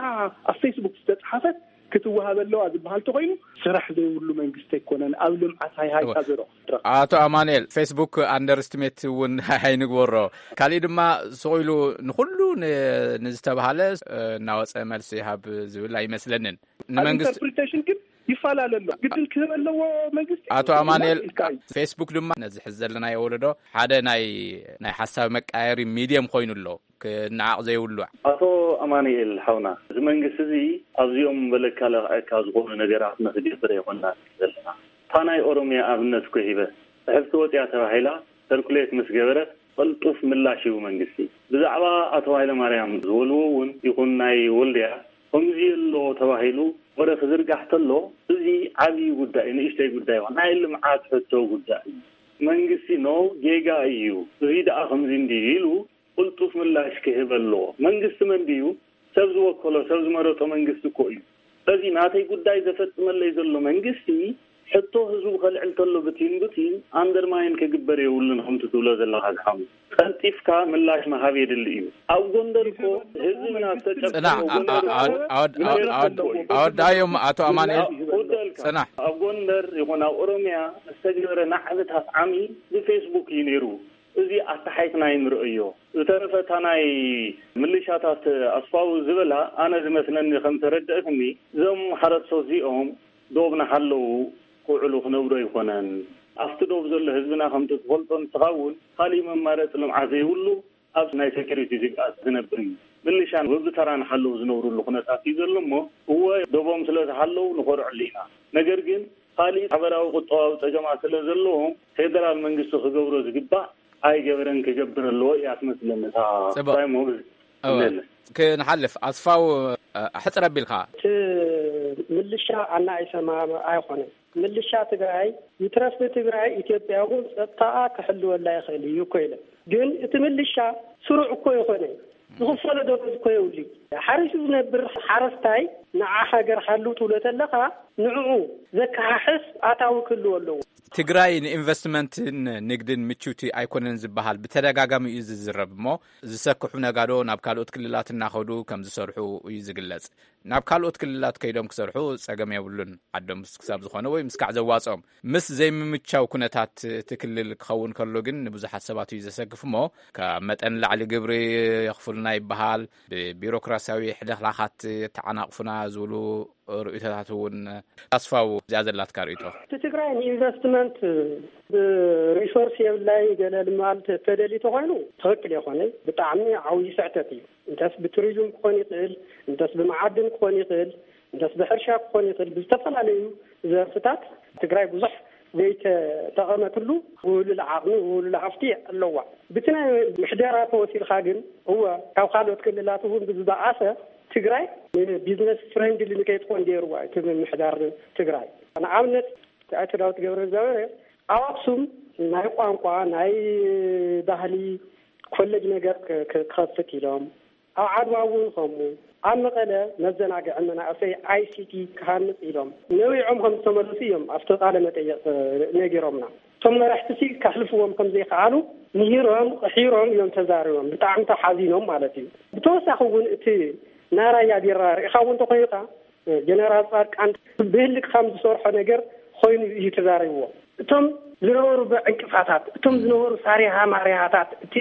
ኣብ ፌስቡክ ዝተፅሓፈት ክትወሃብ ኣለዋ ዝበሃል ተኮይኑ ስራሕ ዘይብሉ መንግስቲ ኣይኮነን። ኣብ ልምዓት ሃይሃይታ እወ። ዘረቑ ኣቶ ኣማኑኤል፣ ፌስቡክ ኣንደርስትሜት እውን ኣይንግበሮ። ካሊእ ድማ ስቕ ኢሉ ንኹሉ ን- ንዝተባሃለ እ፣ እናወፀ መልሲ ይሃብ ዝብል ኣይመስለንን። ኣብ ንመንግስቲ ኢንተርፕሪቴሽን ግን ይፈላለ ኣሎ። ግድን ክህብ ኣለዎ መንግስቲ ኣቶ ኣማኑኤል፣ ኢልካ እዩ። ፌስቡክ ድማ ነዚ ሕዚ ዘለናዮ ወለዶ ሓደ ናይ ናይ ሓሳብ መቃየሪ ሚድየም ኮይኑ ኣሎ። ክነዓቕ ዘይብሉ። ኣቶ ኣማኑኤል ሓውና፣ እዚ መንግስቲ እዚ ኣብዚኦም በለካ ለኽዐካ ዝኾኑ ነገራት ንኽገብር ኣይኮንና ዘለና። እታ ናይ ኦሮሚያ ኣብነት እኮ ሂበ፣ ብሕፍቲ ወፂኣ ተባሂላ ሰርኩሌት ምስ ገበረት ቅልጡፍ ምላሽ ሂቡ መንግስቲ። ብዛዕባ ኣቶ ሃይለማርያም ዝበልዎ እውን ይኹን ናይ ወልድያ ከምዚ ኣሎ ተባሂሉ ወረ ክዝርጋሕ ተሎ፣ እዚ ዓብዪ ጉዳይ እዩ፣ ንእሽተይ ጉዳይ ይኹን ናይ ልምዓት ሕቶ ጉዳይ እዩ። መንግስቲ ኖ ጌጋ እዩ፣ እዚ ደኣ ከምዚ እንዲ ኢሉ ቅልጡፍ ምላሽ ክህብ ኣለዎ። መንግስቲ መን ድዩ? ሰብ ዝወከሎ፣ ሰብ ዝመረጦ መንግስቲ እኮ እዩ። ስለዚ ናተይ ጉዳይ ዘፈፅመለይ ዘሎ መንግስቲ ሕቶ ህዝቡ ከልዕል ተሎ ብቲን ብቲን ኣንደርማይን ክግበር የብሉን ከምቲ ትብሎ ዘለኻ ዝሓሙ። ቀልጢፍካ ምላሽ ምሃብ የድሊ እዩ። ኣብ ጎንደር እኮ ህዝብና ዝተጨፍጨፈ ጽናሕ፣ ጎንደር አ- አ- እኮ ኣወድ- ኣወድ- ኣወድ- ኣወዳዮም ኣቶ ኣማኑኤል። ውደልካ። ጽናሕ። ኣብ ጎንደር ይኹን ኣብ ኦሮሚያ ዝተገበረ ናዕብታት ዓሚ ብፌስቡክ እዩ ነይሩ። እዚ ኣተሓይትና ይንርእዮ። ዝተረፈ እታ ናይ ምልሻታት ኣስፋው ዝበላ፣ ኣነ ዝመስለኒ ከም ተረድእትኒ፣ እዞም ሓረስቶት እዚኦም ዶብ ናሓለዉ ክውዕሉ ክነብሩ ኣይኮነን። ኣብቲ ዶብ ዘሎ ህዝብና ከምቲ ትፈልጦ ንስኻ እውን፣ ካሊእ መማረፂ ልምዓት ዘይብሉ ኣብ ናይ ሴኩሪቲ ስግኣት ዝነብር እዩ። ምልሻን በብተራ ንሓለዉ ዝነብሩሉ ኩነታት እዩ ዘሎ እሞ፣ እወ ዶቦም ስለ ዝሓለዉ ንኾርዐሉ ኢና። ነገር ግን ካሊእ ሓበራዊ ቁጠባዊ ፀገማት ስለ ዘለዎም ፌደራል መንግስቲ ክገብሮ ዝግባእ ኣይገበረን፣ ክገብር ኣለዎ እያ ትመስለኒ እታ ጽቡቕ። ፕራይም ሞብል እወ። ክንሓልፍ ኣስፋው፣ እ፣ ሕጽር ኣቢልካ። እቲ ምልሻ ኣናእሰማ ኣይኾነን። ምልሻ ትግራይ ይትረፍ ንትግራይ፣ ኢትዮጵያ እውን ጸጥታኣ ክሕልወላ ይኽእል እዩ እኮ ኢለ። ግን እቲ ምልሻ ስሩዕ እኮ ይኾነ፣ ዝኽፈሎ ደሞዝ እኮ የብሉ። ሓሪሱ ዝነብር ሓረስታይ ንዓ ሃገር ሓልው ትብሎ ተለኻ፣ ንዕኡ ዘከሓሕስ ኣታዊ ክህልዎ ኣለዎ። ትግራይ ንኢንቨስትመንትን ንግድን ምችውቲ ኣይኮነን ዝበሃል ብተደጋጋሚ እዩ ዝዝረብ እሞ፣ ዝሰክሑ ነጋዶ ናብ ካልኦት ክልላት እናኸዱ ከም ዝሰርሑ እዩ ዝግለጽ። ናብ ካልኦት ክልላት ከይዶም ክሰርሑ ጸገም የብሉን፣ ዓዶም ክሳብ ዝኾነ ወይ ምስካዕ ዘዋጽኦም። ምስ ዘይምምቻው ኩነታት እቲ ክልል ክኸውን ከሎ ግን ንብዙሓት ሰባት እዩ ዘሰክፍ እሞ፣ ካብ መጠን ላዕሊ ግብሪ የኽፍሉና ይበሃል፣ ብቢሮክራሲያዊ ሕልኽላኻት ተዓናቕፉና ዝብሉ ርእይቶታት እውን። ኣስፋው፣ እዚኣ ዘላትካ ርእይቶ? እቲ ትግራይ ንኢንቨስትመንት ብሪሶርስ የብላይ ገለ ማለት ተደሊ ተኾይኑ ትኽክል የኾነ፣ ብጣዕሚ ዓብዪ ስሕተት እዩ። እንተስ ብቱሪዝም ክኾን ይኽእል፣ እንተስ ብመዓድን ክኾን ይኽእል፣ እንተስ ብሕርሻ ክኾን ይኽእል፣ ብዝተፈላለዩ ዘርፍታት ትግራይ ብዙሕ ዘይተጠቐመትሉ ውህሉል ዓቕሚ፣ ውህሉል ሃፍቲ ኣለዋ። ብቲ ናይ ምሕደራ ተወሲድካ ግን፣ እወ፣ ካብ ካልኦት ክልላት እውን ብዝበኣሰ ትግራይ ንቢዝነስ ፍሬንድሊ ንከይትኾን ገይርዋ እቲ ምምሕዳር ትግራይ። ንኣብነት፣ ኣቶ ዳዊት ገብረ እግዚኣብሔር ኣብ ኣክሱም ናይ ቋንቋ፣ ናይ ባህሊ ኮሌጅ ነገር ክ-፣ ክ-፣ ክኸፍት ኢሎም፣ ኣብ ዓድዋ እውን ከምኡ፣ ኣብ መቐለ መዘናግዒ መናእሰይ፣ ኣይ ሲ ቲ፣ ክሃንጽ ኢሎም ነዊዖም ከም ዝተመለሱ እዮም ኣብቲ ቃለ መጠየቕ ነጊሮምና። እቶም መራሕቲ ሲ ከሕልፍዎም ከም ዘይከኣሉ ንሂሮም፣ ሒሮም እዮም ተዛሪቦም። ብጣዕሚ ተሓዚኖም ማለት እዩ። ብተወሳኺ እውን እቲ ናይ ራያ ቢራ ርኢኻ እውን እንተኾይንካ፣ ጀነራል ጻድቃን ብህልክ ከም ዝሰርሖ ነገር ኮይኑ እዩ ተዛሪብዎ። እቶም ዝነበሩ ብዕንቅፋታት፣ እቶም ዝነበሩ ሳሪሃ ማሪሃታት፣ እቲ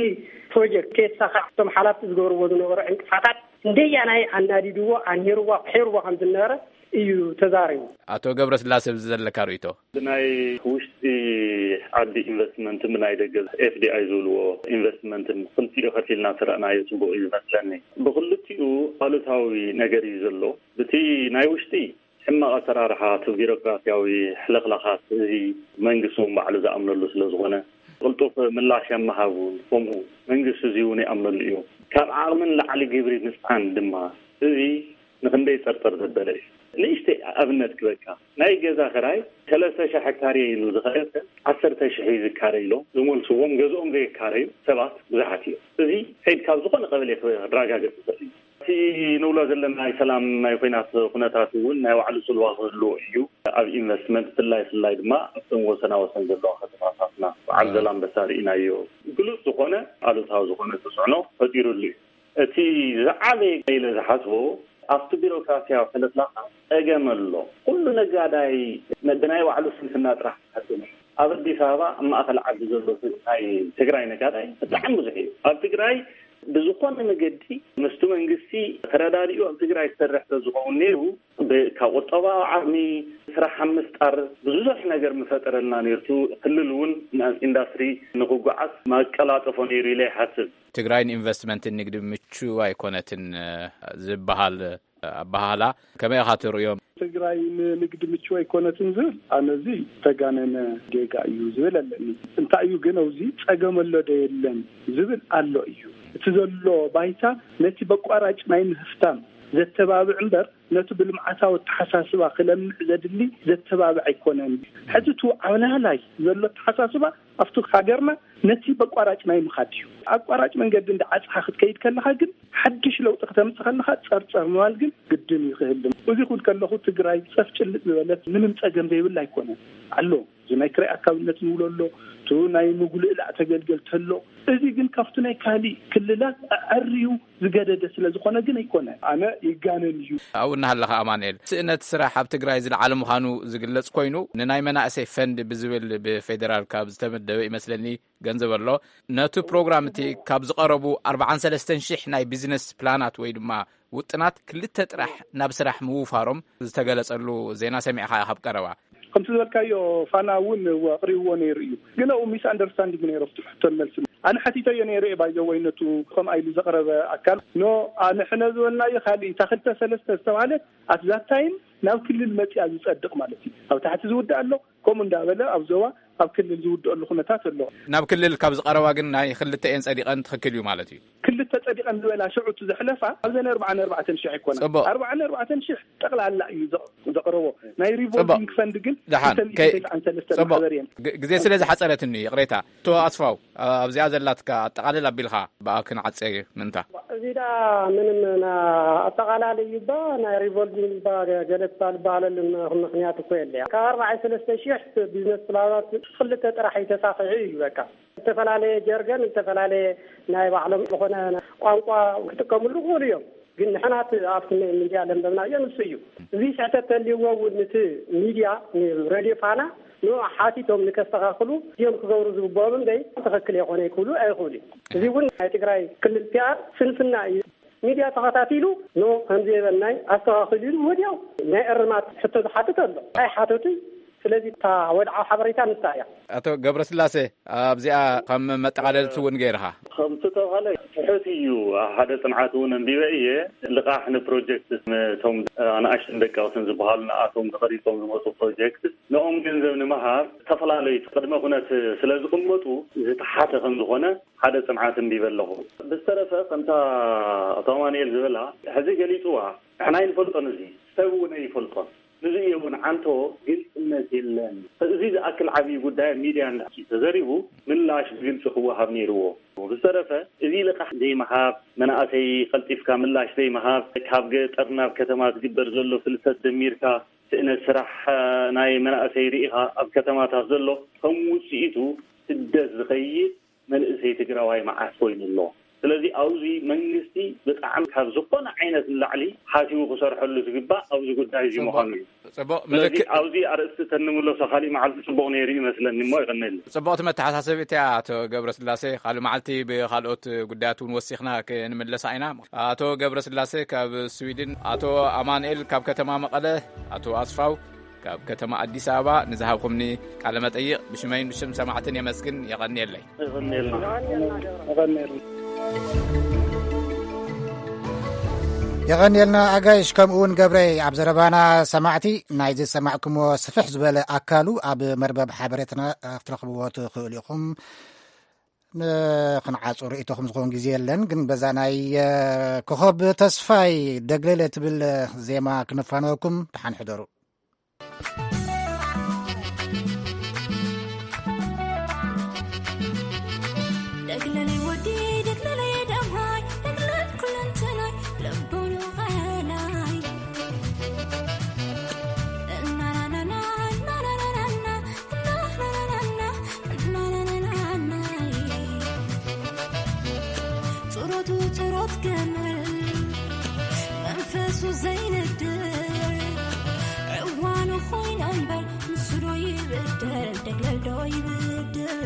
ፕሮጀክት ከየተሳኻዕ እቶም ሓላፍቲ ዝገብርዎ ዝነበሩ ዕንቅፋታት እንደያናይ ኣናዲድዎ፣ ኣንሂርዎ፣ ኣቑሒርዎ ከም ዝነበረ እዩ ተዛሪቡ። ኣቶ ገብረስላሴ፣ ኣብዚ ዘለካ ርእይቶ? ብናይ ውሽጢ ዓዲ ኢንቨስትመንትን ብናይ ደገ ኤፍ ዲ ኣይ ዝብልዎ ኢንቨስትመንትን ክልቲኡ ከፊልና ስረእናዮ ጽቡቕ እዩ ዝመስለኒ። ብክልቲኡ ኣሉታዊ ነገር እዩ ዘሎ። ብቲ ናይ ውሽጢ ሕማቕ ኣሰራርሓ፣ እቲ ቢሮክራሲያዊ ሕልኽላኻት፣ እዚ መንግስቲ እውን ባዕሉ ዝኣምነሉ ስለ ዝኾነ፣ ቅልጡፍ ምላሽ ኣብ ምሃብ እውን ከምኡ መንግስቲ እዚ እውን ይኣምነሉ እዩ። ካብ ዓቕሚ ንላዕሊ ግብሪ ምጽዓን ድማ፣ እዚ ንኽንደይ ጸርጸር ዘበለ እዩ። ንእሽተይ ኣብነት ክበካ፣ ናይ ገዛ ክራይ ሰለስተ ሺሕ ሄክታር እየ ኢሉ ዝኸደ ሰብ፣ ዓሰርተ ሺሕ እዩ ዝካረ ኢሎም ዝመልስዎም፣ ገዝኦም ዘየካረዩ ሰባት ብዙሓት እዮም። እዚ ከይድ ካብ ዝኾነ ቀበሌ ክረጋገጽ ይኽእል እዩ። እቲ ንብሎ ዘለና ናይ ሰላም ናይ ኹናት ኩነታት እውን ናይ ባዕሉ ጽልዋ ክህልዎ እዩ። ኣብ ኢንቨስትመንት፣ ብፍላይ፣ ብፍላይ ድማ ኣብተን ወሰና ወሰን ዘለዋ ከተማታትና፣ በዓል እ። ዘላንበሳ ርኢናዮ። ግሉጽ ዝኾነ ኣሉታዊ ዝኾነ ተጽዕኖ ፈጢሩሉ እዩ። እቲ ዝዓበየ ኢለ ዝሓስቦ፣ ኣብቲ ቢሮክራሲያዊ ሕልኽላኻት ጸገም ኣሎ። ኩሉ ነጋዳይ ነ-፣ ብናይ ባዕሉ ስንፍና ጥራሕ ዝሓስብ እዩ። ኣብ ኣዲስ ኣበባ፣ ኣብ ማእከል ዓዲ ዘሎ ት-፣ ናይ ትግራይ ነጋዳይ ብጣዕሚ ብዙሕ እዩ። ኣብ ትግራይ ብዝኾነ መገዲ ምስቲ መንግስቲ ተረዳዲኡ ኣብ ትግራይ ዝሰርሕ ተዝኸውን ነይሩ፣ ብ-፣ ካብ ቁጠባዊ ዓቕሚ፣ ስራሕ ኣብ ምፍጣር ብዙሕ ነገር ምፈጠረልና ነይሩ። ክልል እውን ናብ ኢንዳስትሪ ንክጓዓዝ ማቀላጠፎ ነይሩ ኢለ ይሓስብ። ትግራይ ንኢንቨስትመንትን ንግዲ ምቹ ኣይኮነትን፣ እ፣ ዝበሃል ኣበሃህላ ከመይ ኢኻ ትርእዮ? ትግራይ ንንግዲ ምቹ ኣይኮነትን ዝብል፣ ኣነ እዚ ዝተጋነነ ጌጋ እዩ ዝብል ኣለኒ። እንታይ እዩ ግን፣ ኣብዚ ጸገም ኣሎ ዶ የለን ዝብል ኣሎ እዩ። እቲ ዘሎ ባይታ ነቲ በቋራጭ ናይ ምህፍታም ዘተባብዕ እምበር፣ ነቲ ብልምዓታዊ ኣተሓሳስባ ክለምዕ ዘድሊ ዘተባብዕ ኣይኮነን። ሕዚ እቲ ዓብላላይ ዘሎ ኣተሓሳስባ ኣብቲ ሃገርና ነቲ በቋራጭ ናይ ምኻድ እዩ። ኣቋራጭ መንገዲ እንዳ ዓጽኻ ክትከይድ ከለኻ ግን፣ ሓድሽ ለውጢ ክተምጽእ ከለኻ ጸርጸር ምባል ግን ግድን እዩ ክህልም። እዚ ኩን ከለኹ ትግራይ ጸፍ ጭልጥ ዝበለት ምንም ጸገም ዘይብላ ኣይኮነን ኣሎ። እዚ ናይ ክራይ ኣካብነት ንብሎ ኣሎ፣ እቲ ናይ ምጉልእላእ ተገልገልቲ ኣሎ። እዚ ግን ካብቲ ናይ ካሊእ ክልላት ኣዐርዩ ዝገደደ ስለ ዝኾነ ግን ኣይኮነን። ኣነ ይጋነን እዩ። ኣብኡ እናሃለኻ ኣማንኤል፣ ስእነት ስራሕ ኣብ ትግራይ ዝለዓለ ምዃኑ ዝግለጽ ኮይኑ፣ ንናይ መናእሰይ ፈንድ ብዝብል ብፌደራል ካብ ዝተመደበ ይመስለኒ ገንዘብ ኣሎ። ነቲ ፕሮግራም እቲ ካብ ዝቐረቡ ኣርባዓን ሰለስተን ሽሕ ናይ ቢዝነስ ፕላናት ወይ ድማ ውጥናት ክልተ ጥራሕ ናብ ስራሕ ምውፋሮም ዝተገለጸሉ ዜና ሰሚዕኻ ኢኻ ኣብ ቀረባ። ከምቲ ዝበልካዮ፣ ፋና እውን እወ ኣቕሪብዎ ነይሩ እዩ። ግን ኣብኡ ሚስ ኣንደርስታንዲንግ ነይሩ ኣብቲ ሕቶን መልሲ። ኣነ ሓቲተዮ ነይረ እየ፣ ባይዘወይ ነቱ ከምኣ ኢሉ ዘቕረበ ኣካል። ኖ፣ ንሕነ ዝበልናዮ ካልእ፣ እታ ክልተ ሰለስተ ዝተባህለት ኣት ዛት ታይም ናብ ክልል መፅያ ዝፀድቕ ማለት እዩ። ኣብ ታሕቲ ዝውድእ ኣሎ፣ ከምኡ እንዳበለ ኣብ ዞባ፣ ኣብ ክልል ዝውድኣሉ ኩነታት ኣሎ። ናብ ክልል ካብ ዝቐረባ ግን ናይ ክልተ እየን ጸዲቐን፣ ትኽክል እዩ ማለት እዩ። ክልተ ጸዲቐን ዝበላ ሽዑ እቲ ዘሕለፋ ኣብዘን ኣርባዓን ኣርባዕተን ሽሕ ኣይኮና። ጽቡቕ። ኣርባዓን ኣርባዕተን ሽሕ ጠቕላላ እዩ ዘ-፣ ዘቕረቦ። ናይ ጽቡቕ። ሪቮልቪንግ ፈንድ ግን ደሓን፣ ክልተ ሚእቲ ከይ-፣ ተስዓን ሰለስተን ጽቡቕ። ማሕበር እየን። ግ-፣ ግዜ ስለ ዝሓጸረትኒ ይቕሬታ። ኣቶ ኣስፋው፣ ኣብዚኣ ዘላትካ ኣጠቓልል ኣቢልካ ብኣ ክንዓጸ ምንታ። እዚ ዳ ምንም ና-፣ ኣጠቓላሊ እዩ እባ፣ ናይ ሪቮልቪንግ እባ ገ-፣ ገለ ትባል ዝበሃለሉ ምኽንያት እኮ የለ። ካብ ኣርባዓን ሰለስተ ሽሕ ቢዝነስ ፕላናት ክልተ ጥራሕ እዩ ተሳኺዑ እዩ በቃ። ዝተፈላለየ ጀርገን፣ ዝተፈላለየ ናይ ባዕሎም ዝኾነ ቋንቋ ክጥቀምሉ ይኽእሉ እዮም። ግን ንሕና እቲ ኣብቲ ሚ-፣ ሚድያ ለንበብናዮ ንሱ እዩ። እዚ ስሕተት ተልይዎ እውን እቲ ሚድያ፣ ሬድዮ ፋና ንኡ ሓቲቶም ንከስተኻኽሉ እዮም ክገብሩ ዝግብኦም እምበይ ትኽክል የኾነ ክብሉ ኣይኽእሉ እዩ። እዚ እውን ናይ ትግራይ ክልል ፒኣር ስንፍና እዩ። ሚድያ ተኸታቲሉ ኖ ከምዚ የበልናይ ኣስተኻኽሉ ኢሉ ወዲያው ናይ እርማት ሕቶ ዝሓትት ኣሎ። ኣይሓተቱይ። ስለዚ እታ ወድዓዊ ሓበሬታ ንሳ እያ። ኣቶ ገብረስላሴ ኣብዚኣ ከም መጠቓለልቲ እውን ገይርኻ። ከምቲ ተባሃለ ትሑት እዩ። ሓደ ጽንዓት እውን ኣንቢበ እየ። ልቓሕ ንፕሮጀክት ነቶም ኣናእሽትን ደቀቕትን ዝበሃሉ ንኣቶም ተቐሪጾም ዝመጹ ፕሮጀክት ንኦም ገንዘብ ንምሃብ ዝተፈላለዩ ቅድመ ኩነት ስለ ዝቕመጡ ዝተሓተ ከም ዝኾነ ሓደ ጽንዓት ኣንቢበ ኣለኹ። ብዝተረፈ ከምታ ኣቶ ኣማኑኤል ዝበላ ሕዚ ገሊጽዋ ንሕና ኣይንፈልጦን፣ እዚ ሰብ እውን ኣይፈልጦን። ንዚ እዩ እውን ዓንቶ ግልጽነት የለን። እዚ ዝኣክል ዓብዪ ጉዳይ ኣብ ሚድያ እንዳ ተዘሪቡ ምላሽ ብግልጺ ክወሃብ ነይርዎ። ብዝተረፈ እዚ ልቓሕ ዘይምሃብ፣ መናእሰይ ቀልጢፍካ ምላሽ ዘይምሃብ፣ ካብ ገጠር ናብ ከተማ ዝግበር ዘሎ ፍልሰት ደሚርካ ስእነት ስራሕ ናይ መናእሰይ ርኢኻ ኣብ ከተማታት ዘሎ ከም ውፅኢቱ ስደት ዝኸይድ መንእሰይ ትግራዋይ መዓት ኮይኑ ኣሎ። ስለዚ ኣብዚ መንግስቲ ብጣዕሚ ካብ ዝኾነ ዓይነት ንላዕሊ ሓሲቡ ክሰርሐሉ ዝግባእ ኣብዚ ጉዳይ እዚ ጽቡቕ፣ ምዃኑ እዩ። ጽቡቕ ስለዚ ምልክት። ኣብዚ ኣርእስቲ ተንምለሶ ካሊእ መዓልቲ ጽቡቕ ነይሩ ይመስለኒ እሞ ይቐነኒ። ጽቡቕቲ መተሓሳሰቢት እያ ኣቶ ገብረስላሴ። ካልእ መዓልቲ ብኻልኦት ጉዳያት እውን ወሲኽና ክንምለሳ ኢና። ኣቶ ገብረስላሴ ካብ ስዊድን፣ ኣቶ ኣማኑኤል ካብ ከተማ መቐለ፣ ኣቶ ኣስፋው ካብ ከተማ ኣዲስ ኣበባ ንዝሃብኩምኒ ቃለ መጠይቕ ብሽመይን ብሽም ሰማዕትን የመስግን። የቐንየለይ። የቐንየልና። የቐንየልና። የቐንየልና ኣጋይሽ፣ ከምኡ እውን ገብረይ። ኣብ ዘረባና ሰማዕቲ ናይዚ ዝሰማዕኩምዎ ስፍሕ ዝበለ ኣካሉ ኣብ መርበብ ሓበሬታና ክትረኽብዎ ትኽእሉ ኢኹም። ንኽንዓጹ ርእይቶኹም ዝኸውን ግዜ የለን፣ ግን በዛ ናይ፣ እ፣ ኮኸብ ተስፋይ ደግለለ ትብል ዜማ ክነፋነወኩም። ደሓን ሕደሩ። ደግለለይ ወዲ፣ ደግለለይ ደምሃይ፣ ደግለል ኩለንተናይ፣ ለቦኑ ቐላይ። እናናናና፣ እናናናና፣ እናናናና፣ እናናናና። ጡረቱ ጡረት ገመል መንፈሱ ዘይነድር፣ ዕዋኑ ኮይነ እምበር ንሱ ዶ ይብደል፣ ደግለል ዶ ይብድል?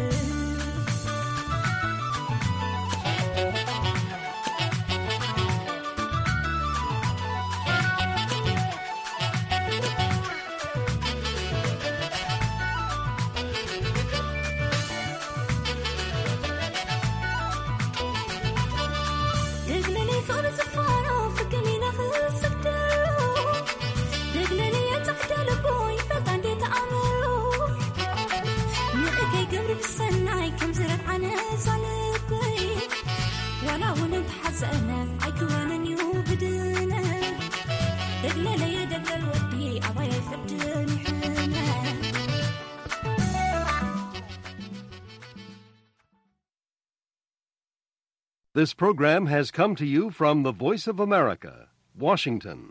This program has come to you from the Voice of America, Washington.